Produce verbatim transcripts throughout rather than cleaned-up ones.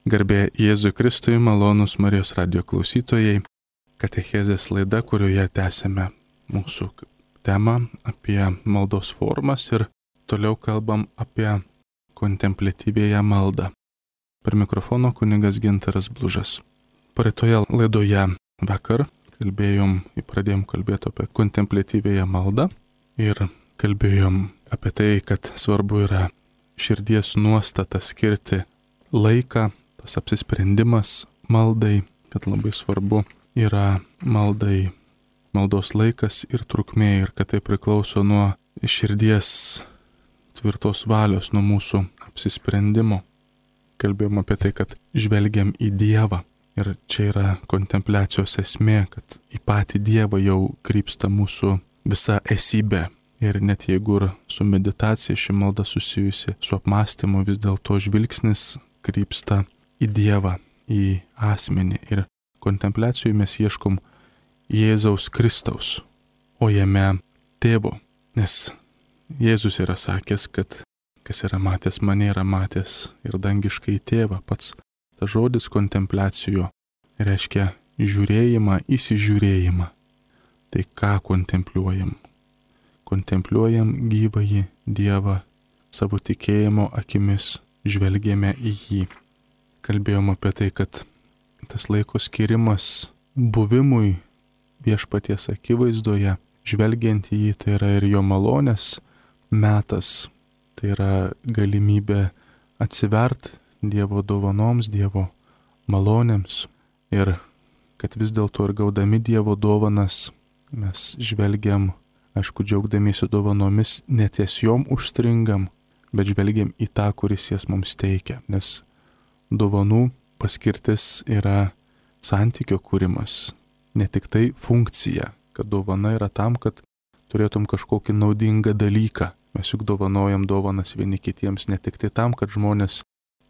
Garbė Jėzui Kristui, malonūs Marijos radijo klausytojai, katechezės laida, kurioje tęsime mūsų temą apie maldos formas ir toliau kalbam apie kontempliatyvėją maldą. Per mikrofono kunigas Gintaras Blužas. Praeitoje laidoje vakar kalbėjom, pradėjom kalbėti apie kontempliatyvėją maldą ir kalbėjom apie tai, kad svarbu yra širdies nuostata skirti laiką, tas apsisprendimas maldai, kad labai svarbu yra maldai, maldos laikas ir trukmė ir kad tai priklauso nuo širdies tvirtos valios, nuo mūsų apsisprendimo. Kalbėjom apie tai, kad žvelgiam į Dievą ir čia yra kontempliacijos esmė, kad į patį Dievą jau krypsta mūsų visa esybė. Ir net jeigu ir su meditacija ši malda susijusi su apmąstymu, vis dėlto žvilgsnis krypsta į Dievą, į asmenį. Ir kontempliacijoje mes ieškom Jėzaus Kristaus, o jame Tėvo. Nes Jėzus yra sakęs, kad kas yra matęs mane, yra matęs ir dangiškai Tėvą. Pats tas žodis kontempliacijo reiškia žiūrėjimą, įsižiūrėjimą. Tai ką kontempliuojam? Kontempliuojam gyvąjį Dievą, savo tikėjimo akimis žvelgėme į jį. Kalbėjom apie tai, kad tas laiko skirimas buvimui viešpaties akivaizdoje, žvelgiant į jį, tai yra ir jo malonės metas, tai yra galimybė atsivert Dievo dovanoms, Dievo malonėms ir kad vis dėlto ir gaudami Dievo dovanas mes žvelgiam, aišku, džiaugdamiesi dovanomis, neties jom užstringam, bet žvelgiam į tą, kuris jas mums teikia, nes dovanų paskirtis yra santykio kūrimas, ne tik tai funkcija, kad dovana yra tam, kad turėtum kažkokį naudingą dalyką. Mes juk dovanojam dovanas vieni kitiems ne tik tai tam, kad žmonės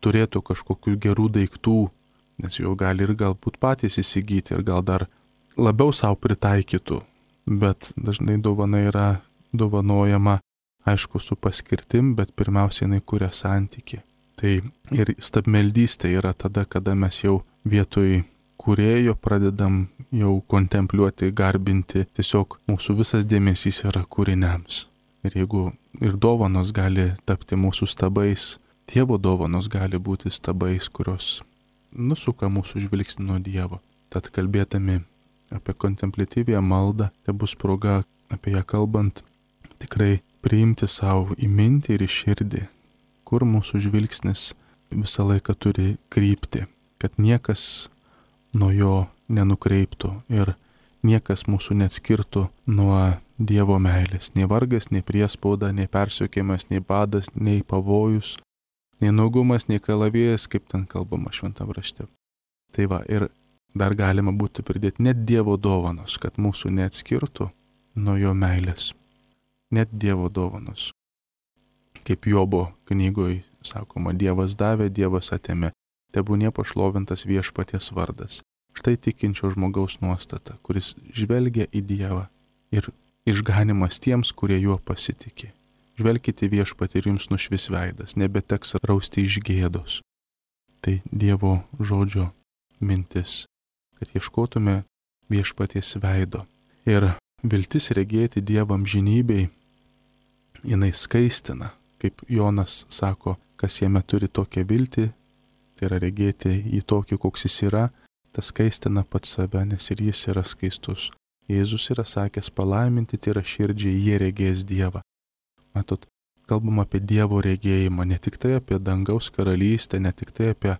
turėtų kažkokių gerų daiktų, nes jau gali ir galbūt patys įsigyti ir gal dar labiau savo pritaikytų, bet dažnai dovana yra dovanojama, aišku, su paskirtim, bet pirmiausiai jinai kuria santykį. Tai ir stabmeldystė yra tada, kada mes jau vietoj kūrėjo pradedam jau kontempliuoti, garbinti, tiesiog mūsų visas dėmesys yra kūriniams. Ir jeigu ir dovanos gali tapti mūsų stabais, Dievo dovanos gali būti stabais, kurios nusuka mūsų žvilgsnį nuo Dievo. Tad kalbėdami apie kontempliatyvę maldą, tai bus proga apie ją kalbant tikrai priimti savo į mintį ir į širdį, kur mūsų žvilgsnis visą laiką turi krypti, kad niekas nuo jo nenukreiptų ir niekas mūsų neatskirtų nuo Dievo meilės. Nei vargas, nei priespauda, nei persiekėjimas, nei badas, nei pavojus, nei nuogumas, nei kalavijas, kaip ten kalbama šventam rašte. Tai va, ir dar galima būtų pridėti net Dievo dovanos, kad mūsų neatskirtų nuo jo meilės. Net Dievo dovanos. Kaip Jobo knygoje sakoma, Dievas davė, Dievas atėmė, tebūnie pašlovintas viešpaties vardas. Štai tikinčio žmogaus nuostata, kuris žvelgia į Dievą ir išganimas tiems, kurie juo pasitikė. Žvelkite viešpatį ir jums nušvis veidas, nebeteks rausti iš gėdos. Tai Dievo žodžio mintis, kad ieškotume viešpaties veido. Ir viltis regėti Dievo amžinybei, jinai skaistina, kaip Jonas sako, kas jame turi tokią viltį, tai yra regėti į tokį, koks jis yra, tas skaistina pats save, nes ir jis yra skaistus. Jėzus yra sakęs, palaiminti tai yra širdžiai, jie regės Dievą. Matot, kalbam apie Dievo regėjimą, ne tik tai apie dangaus karalystę, ne tik tai apie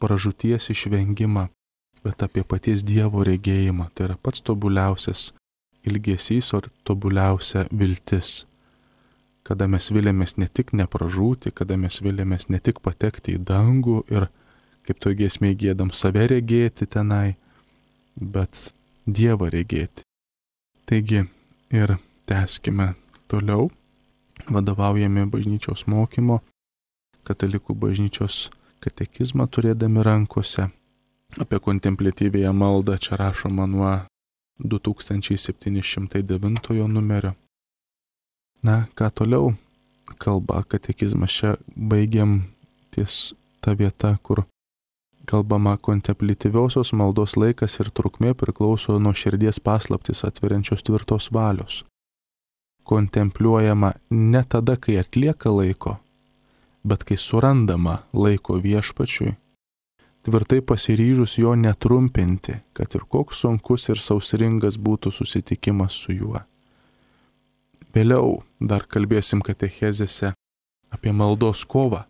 pražūties išvengimą, bet apie paties Dievo regėjimą. Tai yra pats tobuliausias ilgesys, o tobuliausia viltis. Kada mes vilėmės ne tik nepražūti, kada mes vilėmės ne tik patekti į dangų ir, kaip to giesmėje giedam, save regėti tenai, bet Dievą regėti. Taigi ir tęskime toliau, vadovaujami bažnyčios mokymo, katalikų bažnyčios katekizmą turėdami rankose. Apie kontempliatyvėją maldą čia rašoma nuo du tūkstančiai septyni šimtai devintojo numerio. Na, ką toliau kalba katekizmas, čia baigiam ties ta vieta, kur kalbama, kontemplityviosios maldos laikas ir trukmė priklauso nuo širdies paslaptis atveriančios tvirtos valios. Kontempliuojama ne tada, kai atlieka laiko, bet kai surandama laiko viešpačiui, tvirtai pasiryžus jo netrumpinti, kad ir koks sunkus ir sausringas būtų susitikimas su juo. Vėliau dar kalbėsim katechezėse apie maldos kovą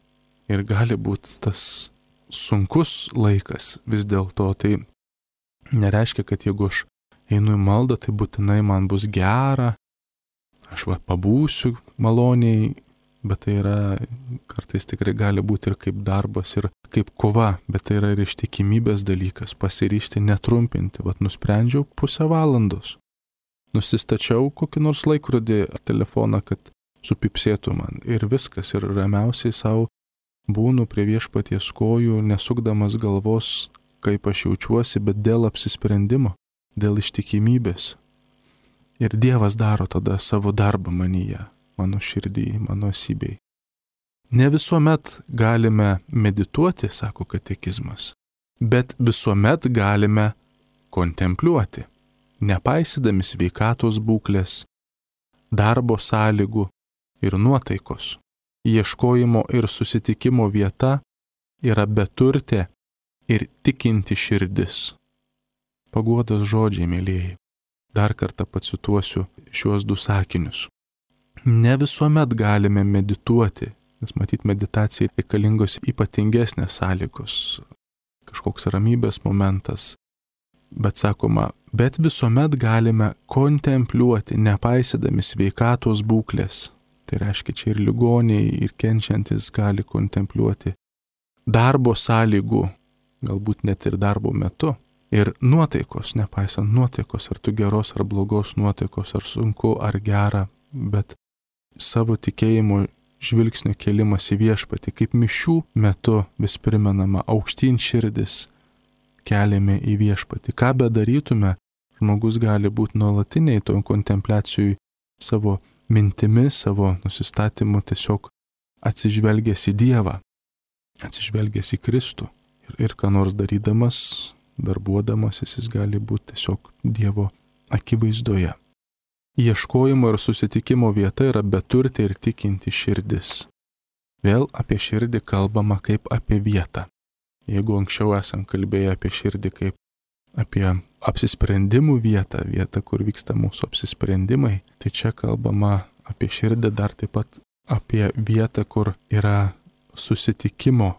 ir gali būti tas sunkus laikas vis dėlto. Tai nereiškia, kad jeigu aš einu į maldą, tai būtinai man bus gera, aš va pabūsiu maloniai, bet tai yra kartais tikrai gali būti ir kaip darbas, ir kaip kova, bet tai yra ir ištikimybės dalykas, pasiryžti netrumpinti. Vat nusprendžiau pusę valandos. Nusistačiau kokį nors laikrodį ar telefoną, kad supipsėtų man ir viskas, ir ramiausiai savo būnu prie viešpaties kojų, nesukdamas galvos, kaip aš jaučiuosi, bet dėl apsisprendimo, dėl ištikimybės. Ir Dievas daro tada savo darbą manyje, mano širdį, mano esybei. Ne visuomet galime medituoti, sako katekizmas, bet visuomet galime kontempliuoti, nepaisydami sveikatos būklės, darbo sąlygų ir nuotaikos. Ieškojimo ir susitikimo vieta yra beturtė ir tikinti širdis. Paguodos žodžiai, mėlyjeji. Dar kartą pacituosiu šiuos du sakinius. Ne visuomet galime medituoti, nes matyt meditacijai reikalingos ypatingesnės sąlygos, kažkoks ramybės momentas, bet sakoma, bet visuomet galime kontempliuoti, nepaisydami sveikatos būklės. Tai reiškia, čia ir ligoniai, ir kenčiantis gali kontempliuoti darbo sąlygų, galbūt net ir darbo metu. Ir nuotaikos, nepaisant nuotaikos, ar tu geros ar blogos nuotaikos, ar sunku ar gera, bet savo tikėjimo žvilgsnio kelimas į viešpatį, kaip mišių metu vis primenama, aukštyn širdis keliame į viešpatį. Ką bedarytume, žmogus gali būti nuolatiniai toj kontempliacijai savo mintimis, savo nusistatymu, tiesiog atsižvelgęs į Dievą, atsižvelgęs į Kristų. Ir, ir ką nors darydamas, darbuodamasis, jis gali būti tiesiog Dievo akivaizdoje. Ieškojimo ir susitikimo vieta yra beturtė ir tikinti širdis. Vėl apie širdį kalbama kaip apie vietą. Jeigu anksčiau esam kalbėję apie širdį kaip apie apsisprendimų vietą, vietą, kur vyksta mūsų apsisprendimai, tai čia kalbama apie širdį dar taip pat apie vietą, kur yra susitikimo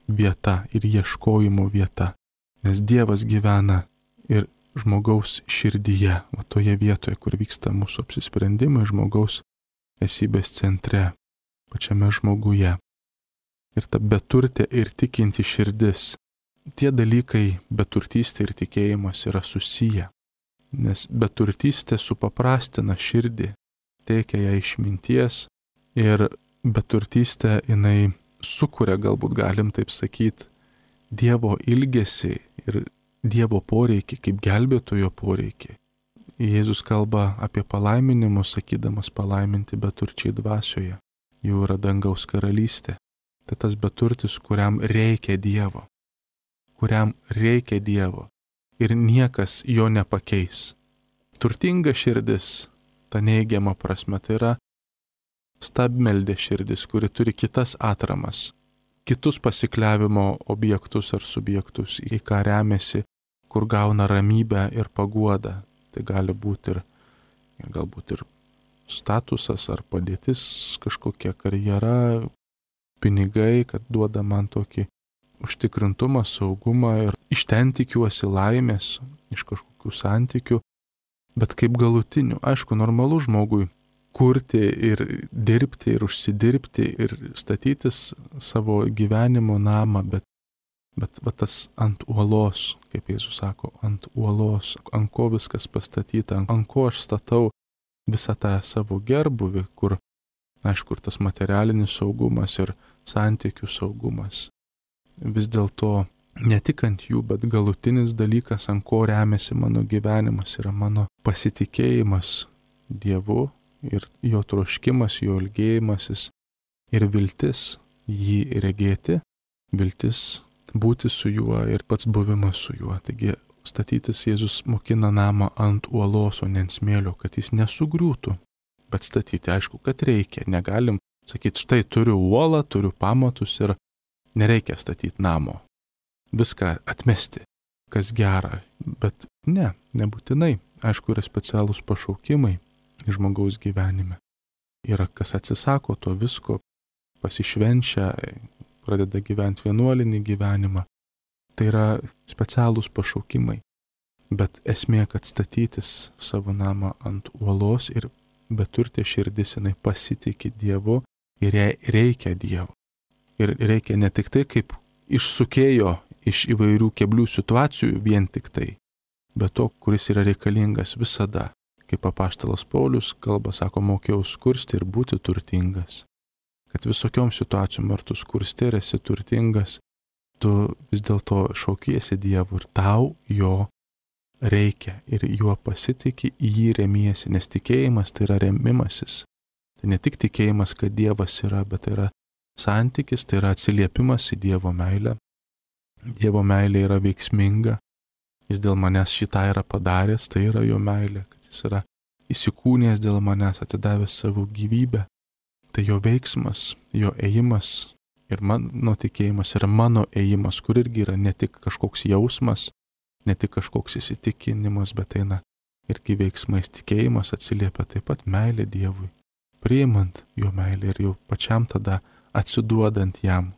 vieta ir ieškojimo vieta. Nes Dievas gyvena ir žmogaus širdyje, va toje vietoje, kur vyksta mūsų apsisprendimai, žmogaus esybės centre, pačiame žmoguje. Ir ta beturtė ir tikinti širdis. Tie dalykai, beturtystė ir tikėjimas, yra susiję. Nes beturtystė supaprastina širdį, teikia ją išminties ir beturtystė jinai sukuria, galbūt galim taip sakyti, Dievo ilgesį ir Dievo poreikį, kaip gelbėtojo poreikį. Jėzus kalba apie palaiminimus, sakydamas palaiminti beturčiai dvasioje. Jau yra dangaus karalystė. Tai tas beturtis, kuriam reikia Dievo. kuriam reikia Dievo ir niekas jo nepakeis. Turtinga širdis, ta neigiama prasme, tai yra stabmeldė širdis, kuri turi kitas atramas, kitus pasikliavimo objektus ar subjektus, į ką remiasi, kur gauna ramybę ir paguodą. Tai gali būti ir, ir galbūt ir statusas ar padėtis, kažkokia karjera, pinigai, kad duoda man tokį užtikrintumą, saugumą ir iš ten tikiuosi laimės, iš kažkokių santykių, bet kaip galutinių. Aišku, normalu žmogui kurti ir dirbti ir užsidirbti ir statytis savo gyvenimo namą, bet, bet va, tas ant uolos, kaip Jėzus sako, ant uolos, ant ko viskas pastatyta, ant ko aš statau visą tą savo gerbuvį, kur, aišku, ir tas materialinis saugumas ir santykių saugumas. Vis dėlto ne tik ant jų, bet galutinis dalykas, ant ko remiasi mano gyvenimas, yra mano pasitikėjimas Dievu ir jo troškimas, jo ilgėjimasis ir viltis jį regėti, viltis būti su juo ir pats buvimas su juo. Taigi statytis Jėzus mokina namą ant uolos, o ne ant smėlio, kad jis nesugriūtų. Bet statyti, aišku, kad reikia. Negalim sakyti, štai turiu uolą, turiu pamatus ir nereikia statyti namo. Viską atmesti, kas gera. Bet ne, nebūtinai. Aišku, yra specialūs pašaukimai žmogaus gyvenime. Yra kas atsisako to visko, pasišvenčia, pradeda gyventi vienuolinį gyvenimą. Tai yra specialūs pašaukimai. Bet esmė, kad statytis savo namą ant uolos ir beturtė širdis, jinai pasitikė Dievu ir jai reikia Dievo. Ir reikia ne tik tai, kaip išsukėjo iš įvairių keblių situacijų vien tik tai, bet to, kuris yra reikalingas visada. Kaip apaštalas Paulius kalba, sako, mokėjau skursti ir būti turtingas. Kad visokiom situacijom ar tu skursti ir esi turtingas, tu vis dėlto šaukiesi Dievu ir tau jo reikia ir juo pasitiki, į jį remiesi, nes tikėjimas tai yra remimasis. Tai ne tik tikėjimas, kad Dievas yra, bet tai yra santykis, tai yra atsiliepimas į Dievo meilę. Dievo meilė yra veiksminga, jis dėl manęs šitą yra padaręs, tai yra jo meilė, kad jis yra įsikūnęs dėl manęs, atidavęs savo gyvybę. Tai jo veiksmas, jo ėjimas ir mano tikėjimas yra mano ėjimas, kur irgi yra ne tik kažkoks jausmas, ne tik kažkoks įsitikinimas, bet eina irgi veiksmais. Tikėjimas atsiliepia taip pat meilė Dievui, priimant jo meilę ir jau pačiam tada atsiduodant jam.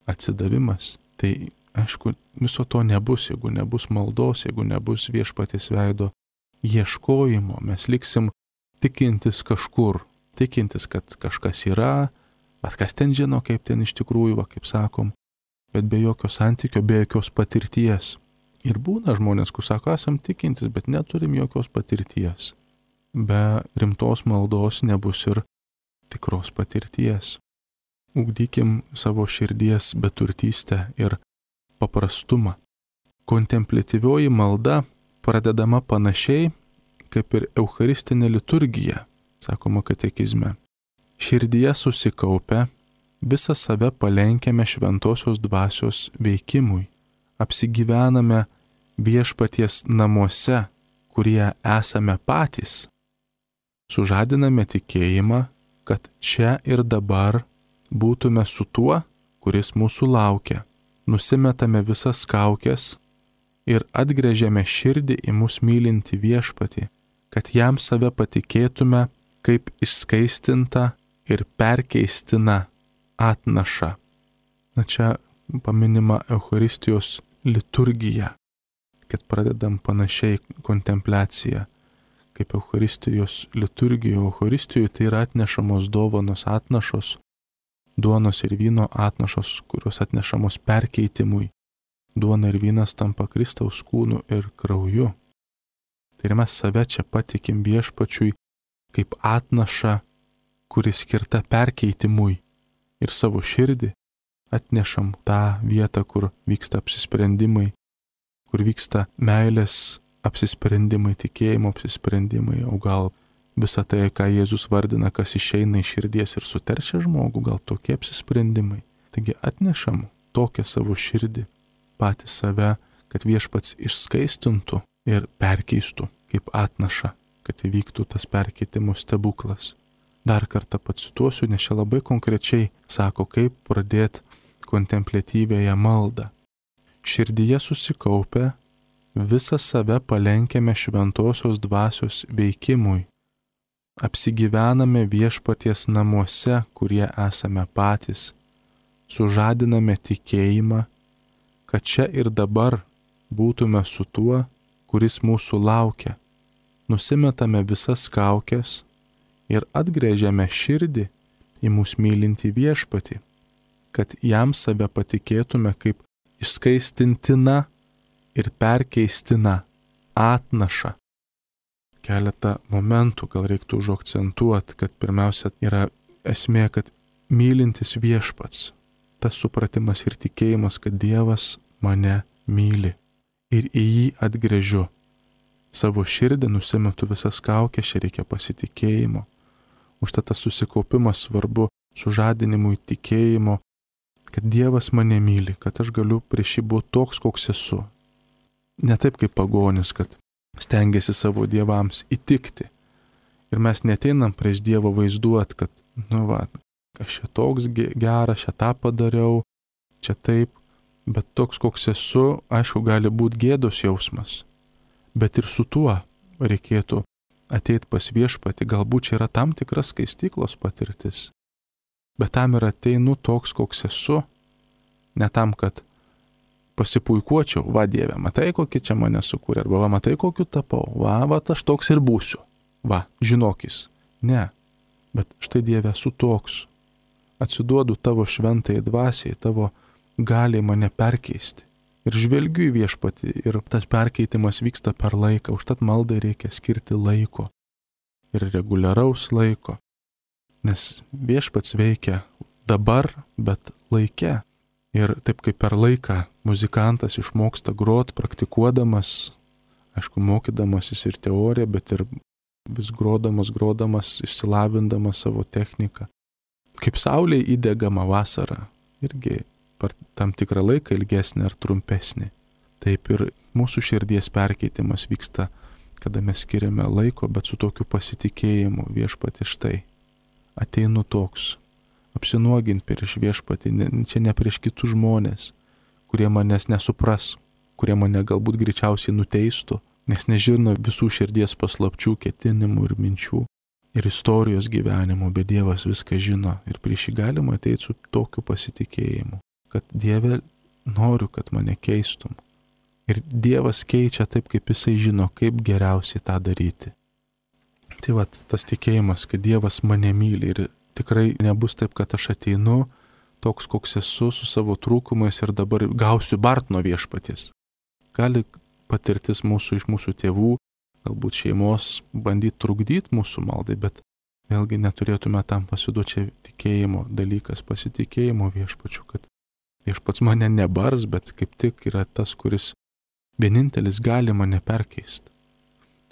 Atsidavimas. Tai aišku, viso to nebus, jeigu nebus maldos, jeigu nebus viešpaties veido ieškojimo. Mes liksim tikintis kažkur, tikintis, kad kažkas yra, bet kas ten žino, kaip ten iš tikrųjų, va, kaip sakom, bet be jokio santykio, be jokios patirties. Ir būna žmonės, kur sako, esam tikintis, bet neturim jokios patirties. Be rimtos maldos nebus ir tikros patirties. Ugdykim savo širdies beturtystę ir paprastumą. Kontempliatyvioji malda pradedama panašiai kaip ir eucharistinė liturgija, sakoma katekizme. Širdyje susikaupę, visą save palenkiame šventosios dvasios veikimui. Apsigyvename viešpaties namuose, kurie esame patys. Sužadiname tikėjimą, kad čia ir dabar būtume su tuo, kuris mūsų laukia. Nusimetame visas kaukes ir atgręžiame širdį į mus mylinti viešpatį, kad jam save patikėtume kaip išskaistinta ir perkeistina atnaša. Na čia paminima Eucharistijos liturgija, kad pradedam panašiai kontempliaciją, kaip Eucharistijos liturgija. Eucharistijoje tai yra atnešamos dovanos atnašos, duonos ir vyno atnašos, kurios atnešamos perkeitimui. Duona ir vynas tampa Kristaus kūnu ir krauju. Tai ir mes save čia patikim viešpačiui kaip atnašą, kuris skirta perkeitimui, ir savo širdį atnešam tą vietą, kur vyksta apsisprendimai, kur vyksta meilės apsisprendimai, tikėjimo apsisprendimai, o gal visą tai, ką Jėzus vardina, kas išeina iš širdies ir suteršia žmogų, gal tokie apsisprendimai. Taigi atnešam tokią savo širdį, patį save, kad viešpats išskaistintų ir perkeistų kaip atnaša, kad įvyktų tas perkeitimų stebuklas. Dar kartą pacituosiu, nes čia labai konkrečiai sako, kaip pradėti kontempliatyvėje maldą. Širdyje susikaupę, visą save palenkiame šventosios dvasios veikimui. Apsigyvename viešpaties namuose, kurie esame patys. Sužadiname tikėjimą, kad čia ir dabar būtume su tuo, kuris mūsų laukia. Nusimetame visas kaukes ir atgręžiame širdį į mūsų mylintį viešpatį, kad jam save patikėtume kaip išskaistintina ir perkeistina atnaša. Keletą momentų gal reiktų užakcentuoti, kad pirmiausia yra esmė, kad mylintis viešpats, tas supratimas ir tikėjimas, kad Dievas mane myli ir į jį atgręžiu. Savo širdį nusimetu visas kaukes, čia reikia pasitikėjimo. Užtat tas susikaupimas svarbu sužadinimui tikėjimo, kad Dievas mane myli, kad aš galiu prieš jį būti toks, koks esu. Ne taip kaip pagonis, kad stengiasi savo dievams įtikti. Ir mes neteinam prieš Dievą vaizduot, kad, nu va, aš čia toks geras, čia tą padariau, čia taip, bet toks, koks esu, aišku, gali būti gėdos jausmas. Bet ir su tuo reikėtų ateiti pas viešpatį, galbūt čia yra tam tikras skaistyklos patirtis. Bet tam ir ateinu toks, koks esu, ne tam, kad pasipuikuočiau, va Dieve, matai, kokį čia mane sukūrė, arba va, matai, kokiu tapau, va, va, aš toks ir būsiu, va, žinokis. Ne, bet štai Dieve, esu toks, atsiduodu tavo šventai dvasiai, tavo galiai mane perkeisti. Ir žvelgiu į viešpatį, ir tas perkeitimas vyksta per laiką, užtat maldai reikia skirti laiko ir reguliaraus laiko, nes viešpats veikia dabar, bet laike. Ir taip kaip per laiką muzikantas išmoksta grot, praktikuodamas, aišku, mokydamasis ir teoriją, bet ir vis grodamas, grodamas, išsilavindamas savo techniką. Kaip saulė įdegama vasarą, irgi per tam tikrą laiką ilgesnį ar trumpesnį. Taip ir mūsų širdies perkeitimas vyksta, kada mes skiriame laiko, bet su tokiu pasitikėjimu viešpatį štai. Ateinu toks. Apsinuoginti prieš viešpatį, ne, čia ne prieš kitus žmonės, kurie manęs nesupras, kurie mane galbūt greičiausiai nuteistų, nes nežino visų širdies paslapčių, ketinimų ir minčių ir istorijos gyvenimo, bet Dievas viską žino ir prieš jį galima ateiti su tokiu pasitikėjimu, kad Dieve, noriu, kad mane keistum. Ir Dievas keičia taip, kaip jisai žino, kaip geriausiai tą daryti. Tai va, tas tikėjimas, kad Dievas mane myli ir tikrai nebus taip, kad aš ateinu toks, koks esu, su savo trūkumais ir dabar gausiu bart nuo viešpaties. Gali patirtis mūsų iš mūsų tėvų, galbūt šeimos bandyti trukdyti mūsų maldai, bet vėlgi neturėtume tam pasiduoti, čia tikėjimo dalykas, pasitikėjimo viešpačiu, kad viešpats mane nebars, bet kaip tik yra tas, kuris vienintelis gali mane perkeisti.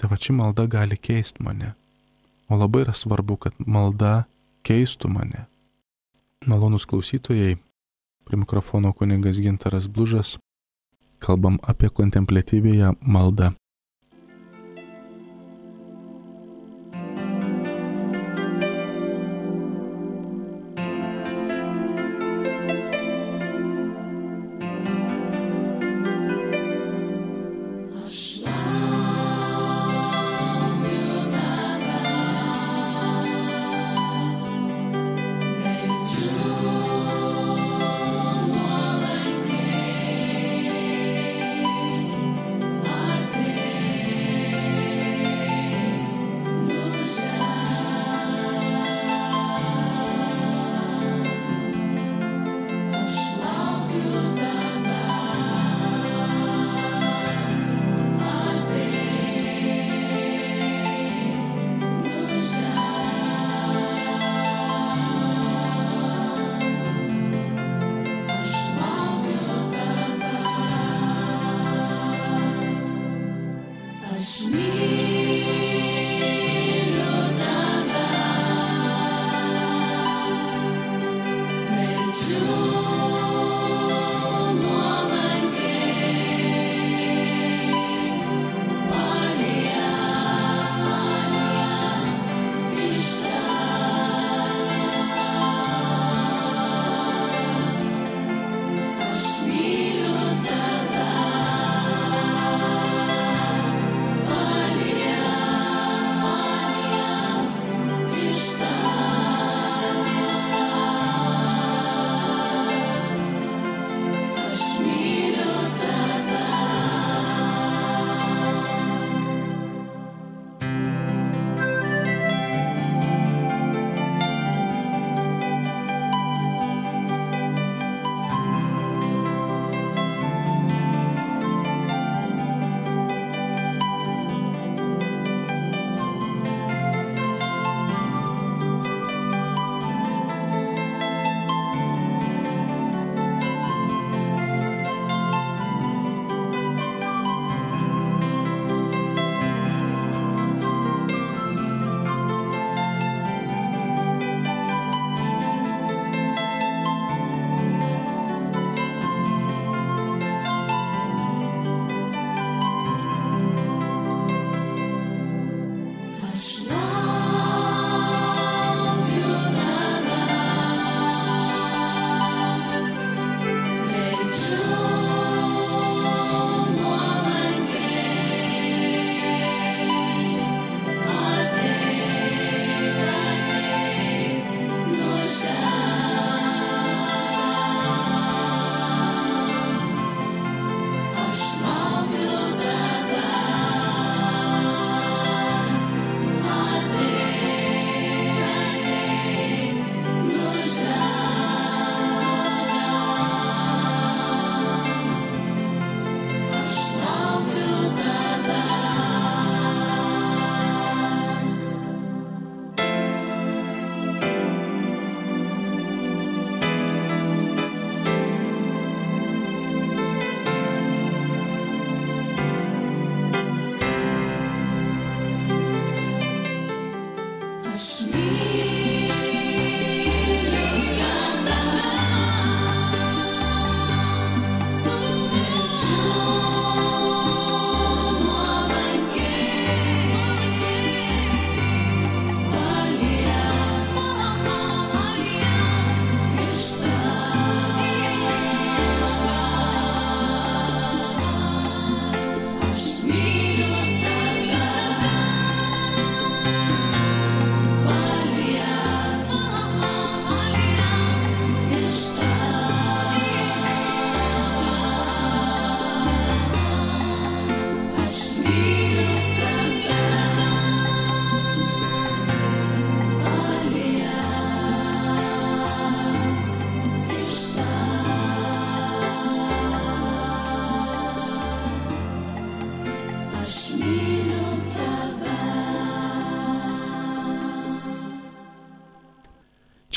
Tai va, ši malda gali keisti mane. O labai yra svarbu, kad malda keistų mane. Malonūs klausytojai, prie mikrofono kunigas Gintaras Blužas, kalbam apie kontempliatyviąją maldą. Bye.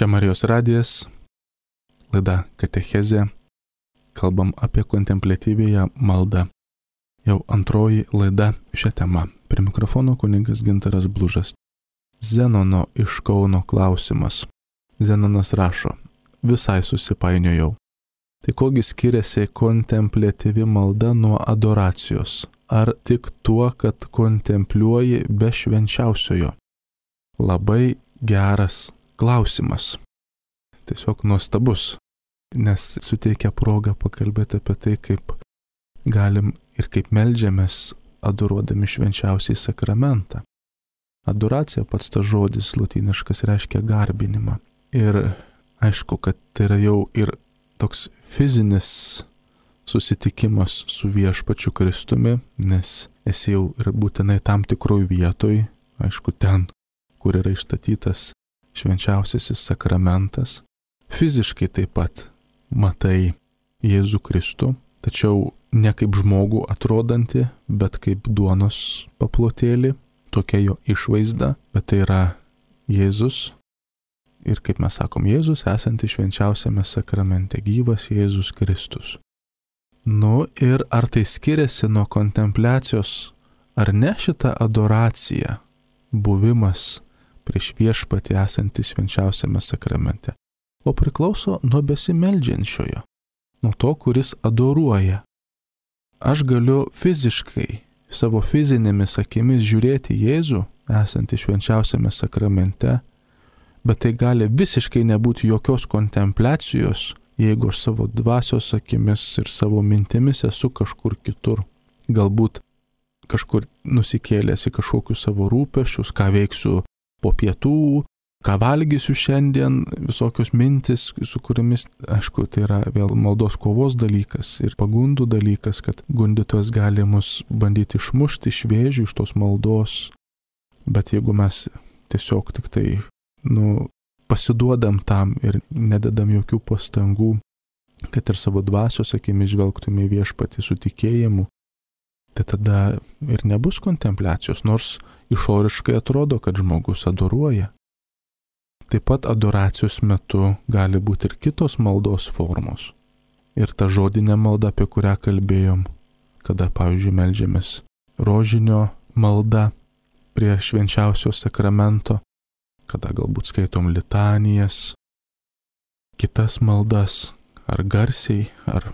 Čia Marijos radijas, laida Katechezė, kalbam apie kontempliatyvėją maldą. Jau antroji laida šią temą. Prie mikrofono kunigas Gintaras Blužas. Zenono iš Kauno klausimas. Zenonas rašo, visai susipainiojau. Tai kogi skiriasi kontempliatyvi malda nuo adoracijos? Ar tik tuo, kad kontempliuoji be švenčiausiojo? Labai geras klausimas. Tiesiog nuostabus, nes suteikia progą pakalbėti apie tai, kaip galim ir kaip meldžiamės adoruodami švenčiausiai sakramentą. Adoracija, pats tas žodis lotyniškas, reiškia garbinimą. Ir aišku, kad tai yra jau ir toks fizinis susitikimas su viešpačiu Kristumi, nes esi jau ir būtinai tam tikroj vietoj, aišku, ten, kur yra išstatytas švenčiausiasis sakramentas. Fiziškai taip pat matai Jėzų Kristų, tačiau ne kaip žmogų atrodantį, bet kaip duonos paplotėlį, tokia jo išvaizda, bet tai yra Jėzus. Ir kaip mes sakom, Jėzus esantis švenčiausiame sakramente, gyvas Jėzus Kristus. Nu ir ar tai skiriasi nuo kontempliacijos, ar ne šita adoracija, buvimas prieš viešpatį esantis švenčiausiame sakramente, o priklauso nuo besimeldžiančiojo, nuo to, kuris adoruoja. Aš galiu fiziškai, savo fizinėmis akimis žiūrėti Jėzų esantį švenčiausiame sakramente, bet tai gali visiškai nebūti jokios kontempliacijos, jeigu aš savo dvasios akimis ir savo mintimis esu kažkur kitur. Galbūt kažkur nusikėlęs į kažkokius savo rūpesčius, ką veiksiu po pietų, ką valgysiu šiandien, visokios mintis, su kuriamis, aišku, tai yra vėl maldos kovos dalykas ir pagundų dalykas, kad gundytojas gali mus bandyti išmušti iš vėžių, iš tos maldos. Bet jeigu mes tiesiog tik tai, nu, pasiduodam tam ir nededam jokių pastangų, kad ir savo dvasios akimis žvelgtume į viešpatį su tikėjimu, tai tada ir nebus kontempliacijos, nors išoriškai atrodo, kad žmogus adoruoja. Taip pat adoracijos metu gali būti ir kitos maldos formos. Ir ta žodinė malda, apie kurią kalbėjom, kada, pavyzdžiui, meldžiamės rožinio malda prie švenčiausio sakramento, kada galbūt skaitom litanijas, kitas maldas, ar garsiai, ar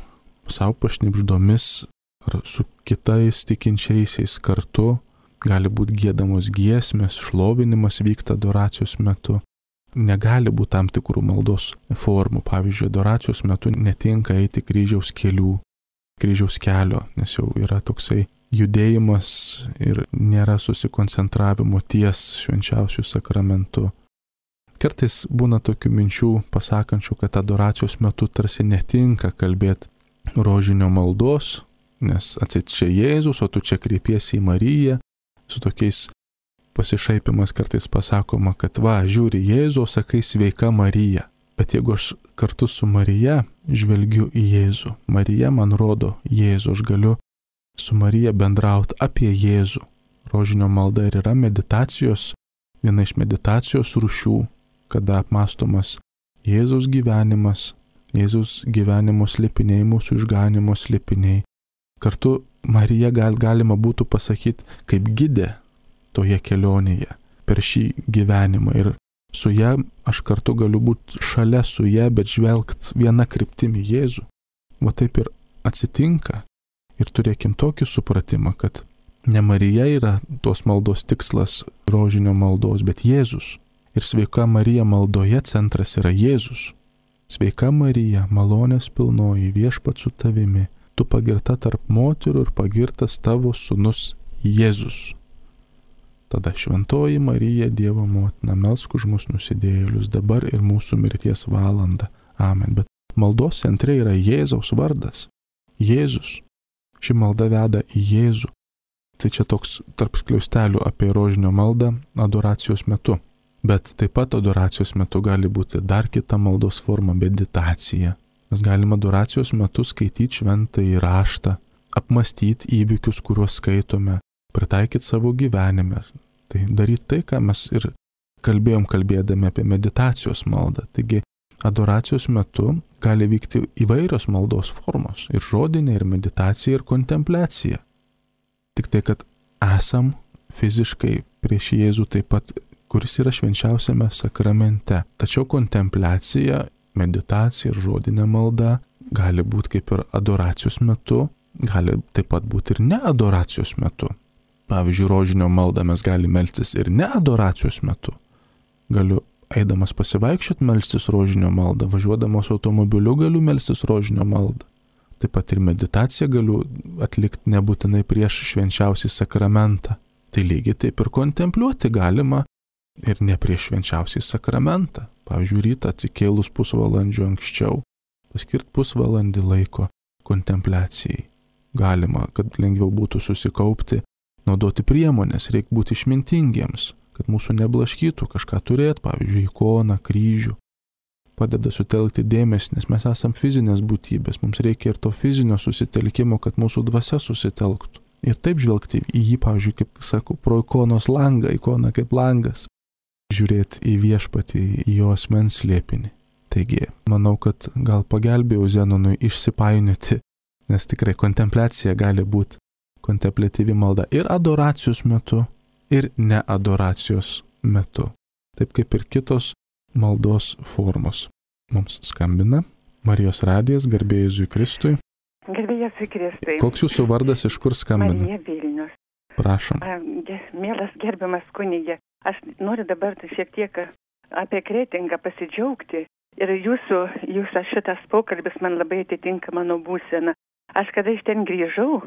savo pašnibždomis, ar su kitais tikinčiaisiais kartu, gali būti giedamos giesmės, šlovinimas vyksta adoracijos metu. Negali būti tam tikrų maldos formų. Pavyzdžiui, adoracijos metu netinka eiti kryžiaus kelių, kryžiaus kelio, nes jau yra toksai judėjimas ir nėra susikoncentravimo ties švenčiausiu sakramentu. Kartais būna tokių minčių pasakančių, kad adoracijos metu tarsi netinka kalbėti rožinio maldos, nes atsit čia Jėzus, o tu čia kreipiesi į Mariją, su tokiais pasišaipimas kartais pasakoma, kad va, žiūri Jėzų, sakai sveika Marija. Bet jeigu aš kartu su Marija žvelgiu į Jėzų, Marija man rodo Jėzų, aš galiu su Marija bendrauti apie Jėzų. Rožinio malda ir yra meditacijos, viena iš meditacijos rūšių, kada apmąstomas Jėzaus gyvenimas, Jėzaus gyvenimo slėpiniai, mūsų išganimo slėpiniai. Kartu Marija gal, galima būtų pasakyti kaip gidė toje kelionėje, per šį gyvenimą. Ir su ja aš kartu galiu būti šalia su ja, bet žvelgt viena kryptimi Jėzų. Va taip ir atsitinka. Ir turėkim tokį supratimą, kad ne Marija yra tos maldos tikslas rožinio maldos, bet Jėzus. Ir sveika Marija maldoje centras yra Jėzus. Sveika Marija, malonės pilnoji, viešpats su tavimi, tu pagirta tarp moterų ir pagirtas tavo sūnus Jėzus. Tada šventoji Marija, Dievo motina, melsk už mus nusidėjėlius dabar ir mūsų mirties valandą. Amen. Bet maldos centre yra Jėzaus vardas. Jėzus. Ši malda veda į Jėzų. Tai čia toks tarp skliaustelių apie rožinio maldą adoracijos metu. Bet taip pat adoracijos metu gali būti dar kita maldos forma – meditacija. Mes galime adoracijos metu skaityti šventąjį raštą, apmastyti įvykius, kuriuos skaitome, pritaikyti savo gyvenime. Tai daryti tai, ką mes ir kalbėjom kalbėdami apie meditacijos maldą. Taigi adoracijos metu gali vykti įvairios maldos formos - ir žodinė, ir meditacija, ir kontempliacija. Tik tai, kad esam fiziškai prieš Jėzų taip pat, kuris yra švenčiausiame sakramente. Tačiau kontempliacija, meditacija ir žodinė malda gali būti kaip ir adoracijos metu, gali taip pat būti ir ne adoracijos metu. Pavyzdžiui, rožinio maldą mes galime melstis ir ne adoracijos metu. Galiu eidamas pasivaikščioti melstis rožinio maldą, važiuodamas automobiliu galiu melstis rožinio maldą. Taip pat ir meditaciją galiu atlikti nebūtinai prieš švenčiausią sakramentą. Tai lygiai taip ir kontempliuoti galima ir ne prieš švenčiausią sakramentą. Pavyzdžiui, rytą atsikėlus pusvalandžio anksčiau, paskirti pusvalandį laiko kontempliacijai. Galima, kad lengviau būtų susikaupti, naudoti priemonės, reikia būti išmintingiems, kad mūsų neblaškytų, kažką turėti, pavyzdžiui, ikoną, kryžių. Padeda sutelkti dėmesį, nes mes esam fizinės būtybės, mums reikia ir to fizinio susitelkimo, kad mūsų dvasia susitelktų. Ir taip žvelgti į jį, pavyzdžiui, kaip sakau, pro ikonos langą, ikona kaip langas, žiūrėti į viešpatį, į jo asmens slėpinį. Taigi, manau, kad gal pagelbėjau Zenonui išsipainioti, nes tikrai kontempliacija gali būti kontempliatyvi malda ir adoracijos metu, ir neadoracijos metu. Taip kaip ir kitos maldos formos. Mums skambina Marijos radijas, garbė Jėzui Kristui. Garbė Jėzui Kristui. Koks jūsų vardas, iš kur skambina? Marija Vilnius. Prašom. A, ge, mielas gerbiamas kunigė, aš noriu dabar šiek tiek apie Kretingą pasidžiaugti. Ir jūsų, jūsų šitas pokalbis man labai atitinka mano būseną. Aš kada iš ten grįžau,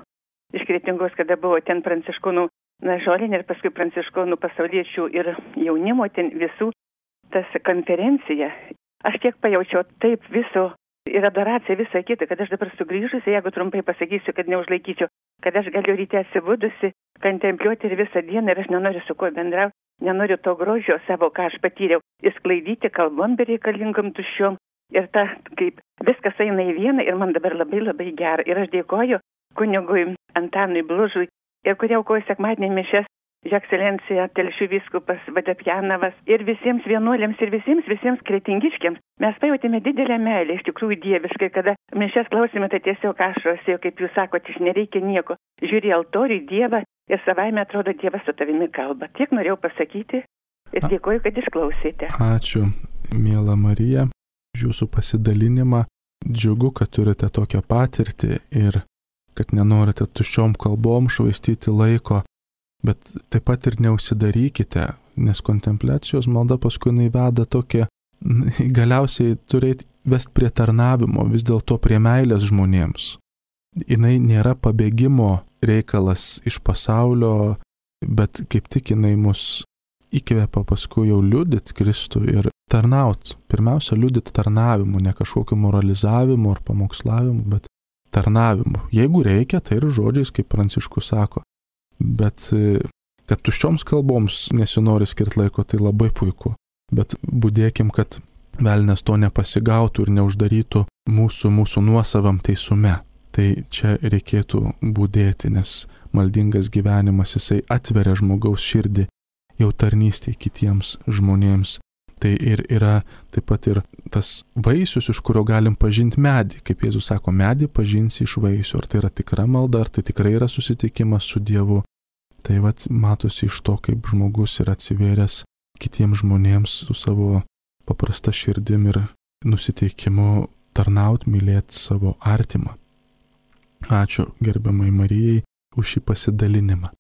iš Kretingos, kada buvo ten pranciškonų na, žolinė ir paskui pranciškonų pasauliečių ir jaunimo ten visų, tas konferencija, aš tiek pajaučiau taip viso ir adoracija visą kitą, kad aš dabar sugrįžusi, jeigu trumpai pasakysiu, kad neužlaikyčiau, kad aš galiu ryte atsibudusi, kontempliuoti ir visą dieną ir aš nenoriu su kuo bendrauti, nenoriu to grožio savo, ką aš patyriau, įsklaidyti kalbom bereikalingom tuščiom ir ta, kaip viskas eina į vieną ir man dabar labai labai gera. Ir aš dėkoju kunigui Antanui Blužui ir kurie aukoja sekmadienį mišias, Jo ekscelencija Telšių vyskupas Vadapjanovas ir visiems vienuoliams ir visiems, visiems kretingiškiams. Mes pajutėme didelę meilę, iš tikrųjų dieviškai, kada mišias klausime, tai tiesiog ašaros, kaip jūs sakote, iš nereikia nieko. Žiūri altorių, Dievą ir savaime atrodo Dievas su tavimi kalba. Tiek norėjau pasakyti ir dėkoju, kad išklausėte. Ačiū, miela Marija, už jūsų pasidalinimą. Džiugu, kad turite tokią patirtį ir kad nenorite tuščiom kalbom švaistyti laiko. Bet taip pat ir neužsidarykite, nes kontempliacijos malda paskui veda tokia, galiausiai turėti vest prie tarnavimo, vis dėlto prie meilės žmonėms. Jinai nėra pabėgimo reikalas iš pasaulio, bet kaip tik jinai mus įkvepia paskui jau liudyti Kristų ir tarnaut. Pirmiausia, liudyti tarnavimu, ne kažkokiu moralizavimu ar pamokslavimu, bet tarnavimu. Jeigu reikia, tai ir žodžiais, kaip Pranciškus sako. Bet kad tuščioms kalboms nesinori skirti laiko, tai labai puiku. Bet būdėkim, kad velnias to nepasigautų ir neuždarytų mūsų, mūsų nuosavam teisume. Tai čia reikėtų būdėti, nes maldingas gyvenimas jisai atveria žmogaus širdį jau tarnystėj kitiems žmonėms. Tai ir yra taip pat ir tas vaisius, iš kurio galim pažinti medį. Kaip Jėzus sako, medį pažinsi iš vaisių. Ar tai yra tikra malda, ar tai tikrai yra susitikimas su Dievu. Tai vat matosi iš to, kaip žmogus yra atsivėręs kitiems žmonėms su savo paprasta širdim ir nusiteikimu tarnaut, mylėti savo artimą. Ačiū gerbiamai Marijai už šį pasidalinimą.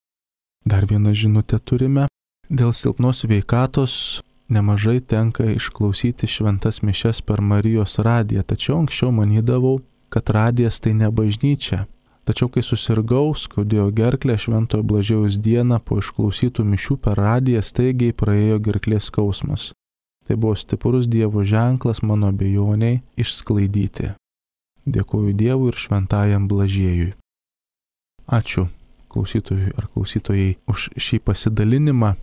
Dar vieną žinutę turime. Dėl silpnos sveikatos nemažai tenka išklausyti šventas mišias per Marijos radiją, tačiau anksčiau manydavau, kad radijas tai ne bažnyčia. Tačiau kai susirgau, skaudėjo gerklę Šventojo Blažiejaus dieną, po išklausytų mišių per radiją staigiai praėjo gerklės skausmas. Tai buvo stiprus Dievo ženklas mano abejoniai išsklaidyti. Dėkoju Dievui ir Šventajam Blažiejui. Ačiū klausytojui ar klausytojai už šį pasidalinimą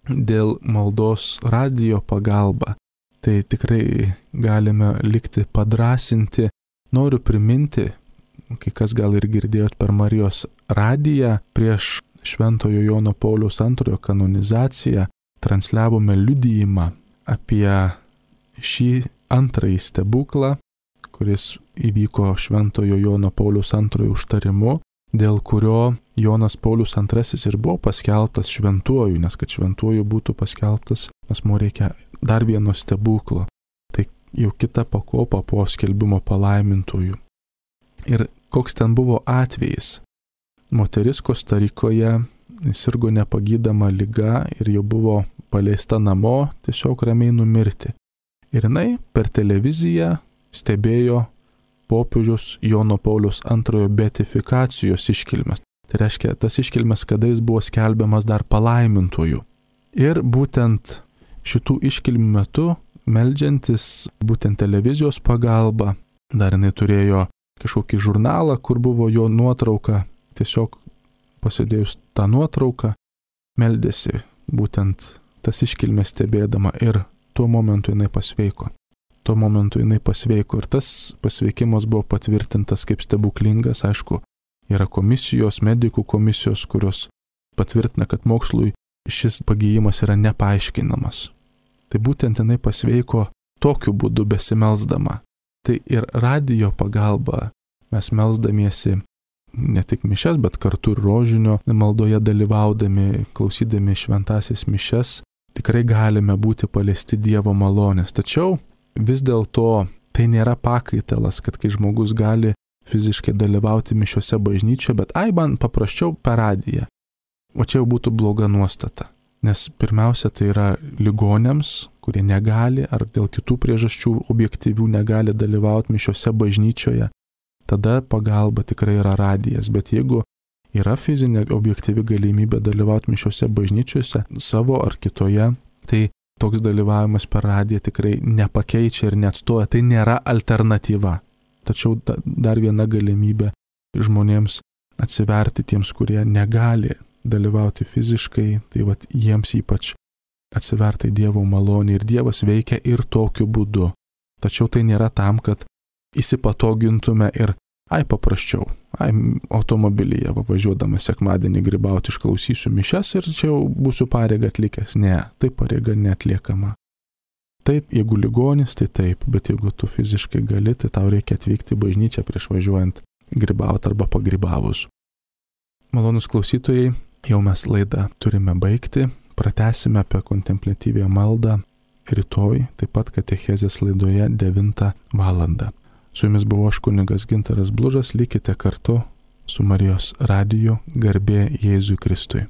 dėl maldos radijo pagalba. Tai tikrai galime likti padrasinti. Noriu priminti, kai kas gal ir girdėjot per Marijos radiją prieš Šventojo Jono Pauliaus antrojo kanonizaciją, transliavome liudijimą apie šį antrąjį stebuklą, kuris įvyko Šventojo Jono Pauliaus antrojo užtarimu, dėl kurio Jonas Paulius antrasis ir buvo paskelbtas šventuoju, nes kad šventuoju būtų paskelbtas, asmuo reikia dar vieno stebuklo. Tai jau kita pakopa po skelbimo palaimintojų. Ir koks ten buvo atvejis? Moteris Kostarikoje sirgo nepagydama liga ir jau buvo paleista namo tiesiog ramiai numirti. Ir jinai per televiziją stebėjo popiežiaus Jono Pauliaus antrojo beatifikacijos iškilmes. Tai reiškia, tas iškilmes, kada jis buvo skelbiamas dar palaimintojų. Ir būtent šitų iškilmių metu, meldžiantis būtent televizijos pagalba, dar jinai turėjo kažkokį žurnalą, kur buvo jo nuotrauka, tiesiog pasidėjus tą nuotrauką, meldėsi būtent tas iškilmes stebėdama ir tuo momentu jinai pasveiko. Tuo momentu jinai pasveiko ir tas pasveikimas buvo patvirtintas kaip stebuklingas, aišku, yra komisijos, medikų komisijos, kurios patvirtina, kad mokslui šis pagyjimas yra nepaaiškinamas. Tai būtent jinai pasveiko tokiu būdu besimelsdama. Tai ir radijo pagalba mes melsdamiesi ne tik mišes, bet kartu ir rožinio maldoje dalyvaudami, klausydami šventąsias mišes, tikrai galime būti paliesti Dievo malonės. Tačiau vis dėlto tai nėra pakaitalas, kad kai žmogus gali fiziškai dalyvauti mišiose bažnyčioje, bet ai, man paprasčiau per radiją. O čia jau būtų bloga nuostata. Nes pirmiausia, tai yra ligoniams, kurie negali ar dėl kitų priežasčių objektyvių negali dalyvauti mišiose bažnyčioje. Tada pagalba tikrai yra radijas. Bet jeigu yra fizinė objektyvi galimybė dalyvauti mišiose bažnyčiose savo ar kitoje, tai toks dalyvavimas per radiją tikrai nepakeičia ir neatstoja. Tai nėra alternatyva. Tačiau dar viena galimybė žmonėms atsiverti tiems, kurie negali dalyvauti fiziškai, tai vat jiems ypač atsiverti Dievo malonė ir Dievas veikia ir tokiu būdu. Tačiau tai nėra tam, kad įsipatogintume ir ai paprasčiau, ai automobilyje važiuodama sekmadienį grybauti išklausysiu mišes ir čia jau būsiu pareigą atlikęs. Ne, tai pareiga neatliekama. Taip, jeigu ligonis, tai taip, bet jeigu tu fiziškai gali, tai tau reikia atvykti į bažnyčią prieš važiuojant grybauti arba pagrybavus. Malonus klausytojai, jau mes laidą turime baigti, pratęsime apie kontempliatyvią maldą rytoj, taip pat katechezės laidoje devintą valandą. Su jumis buvo aš kunigas Gintaras Blužas, likite kartu su Marijos radiju, garbė Jėzui Kristui.